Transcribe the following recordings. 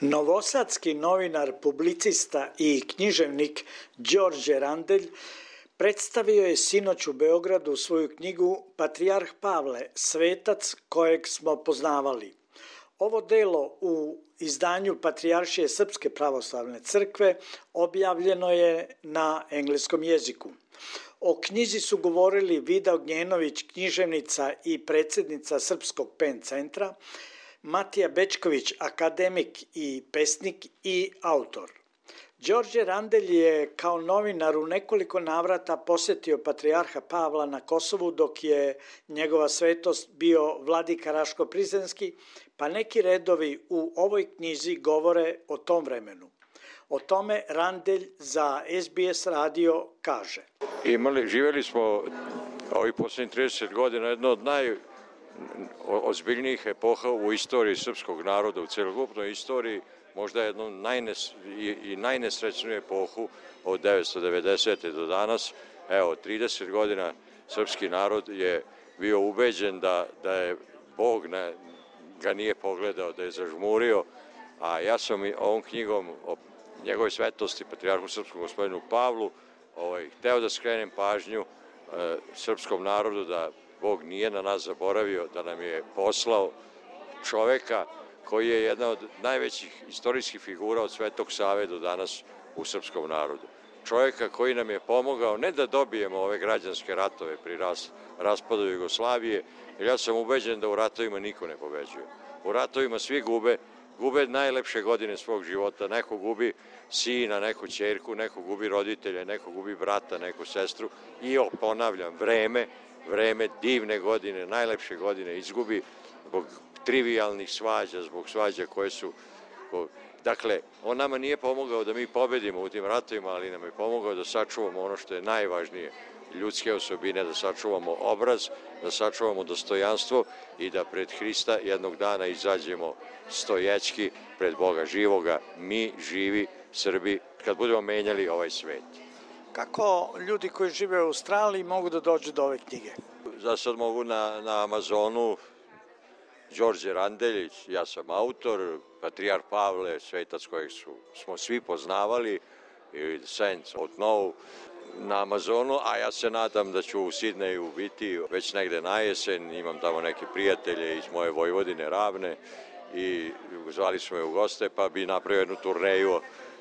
Novosadski novinar, publicista i književnik Đorđe Randelj predstavio je sinoć u Beogradu svoju knjigu Patrijarh Pavle, svetac kojeg smo poznavali. Ovo delo u izdanju Patrijaršije Srpske pravoslavne crkve objavljeno je na engleskom jeziku. O knjizi su govorili Vida Ognjenović, književnica i predsjednica Srpskog PEN centra, Matija Bečković, akademik i pesnik i autor. Đorđe Randelj je kao novinar u nekoliko navrata posjetio Patrijarha Pavla na Kosovu dok je njegova svetost bio vladika Raško-Prizrenski, pa neki redovi u ovoj knjizi govore o tom vremenu. O tome Randelj za SBS radio kaže. Živjeli smo ovih posljednjih 30 godina jedno od najozbiljnijih epoha u istoriji srpskog naroda, u celokupnoj istoriji, možda jednu najnesrećniju epohu od 1990. do danas. Evo, 30 godina srpski narod je bio ubeđen da je Bog ga nije pogledao, da je zažmurio, a ja sam ovom knjigom o njegove svetosti, Patrijarhu Srpskom gospodinu Pavlu, hteo da skrenem pažnju srpskom narodu da Bog nije na nas zaboravio, da nam je poslao čoveka koji je jedna od najvećih istorijskih figura od Svetog Save do danas u srpskom narodu. Čovjeka koji nam je pomogao ne da dobijemo ove građanske ratove pri raspadu Jugoslavije, jer ja sam ubeđen da u ratovima niko ne pobeđuje. U ratovima svi gube najlepše godine svog života, neko gubi sina, neko ćerku, neko gubi roditelja, neko gubi brata, neku sestru i ponavljam, vreme divne godine, najlepše godine izgubi zbog trivijalnih svađa, zbog svađa koje su... Dakle, on nama nije pomogao da mi pobedimo u tim ratovima, ali nam je pomogao da sačuvamo ono što je najvažnije, ljudske osobine, da sačuvamo obraz, da sačuvamo dostojanstvo i da pred Hrista jednog dana izađemo stojećki pred Boga živoga, mi živi Srbi, kad budemo menjali ovaj svet. Kako ljudi koji žive u Australiji mogu da dođu do ove knjige? Za sad mogu na Amazonu, Đorđe Randelj, ja sam autor, Patrijarh Pavle, svetac kojeg smo svi poznavali, ili Saints of Know, na Amazonu, a ja se nadam da ću u Sidneju biti već negde na jesen, imam tamo neke prijatelje iz moje Vojvodine Ravne i zvali smo je u goste, pa bi napravio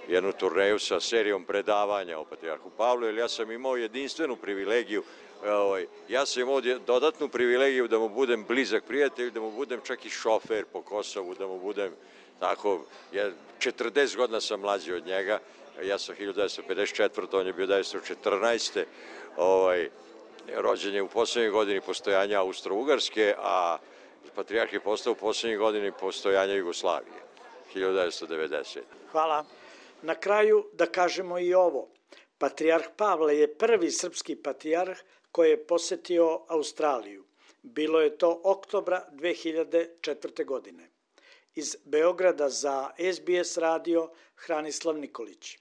jednu turneju sa serijom predavanja o Patrijarhu Pavlu, jer ja sam imao jedinstvenu privilegiju, ja sam imao dodatnu privilegiju da mu budem blizak prijatelj, da mu budem čak i šofer po Kosovu, da mu budem tako, 40 godina sam mlađi od njega, ja sam 1954. on je bio 1914. Rođen je u poslednjoj godini postojanja Austro-Ugarske, a Patrijarh je postao u poslednjoj godini postojanja Jugoslavije, 1990. Hvala. Na kraju da kažemo i ovo. Patrijarh Pavle je prvi srpski patrijarh koji je posetio Australiju. Bilo je to oktobra 2004. godine. Iz Beograda za SBS radio Hranislav Nikolić.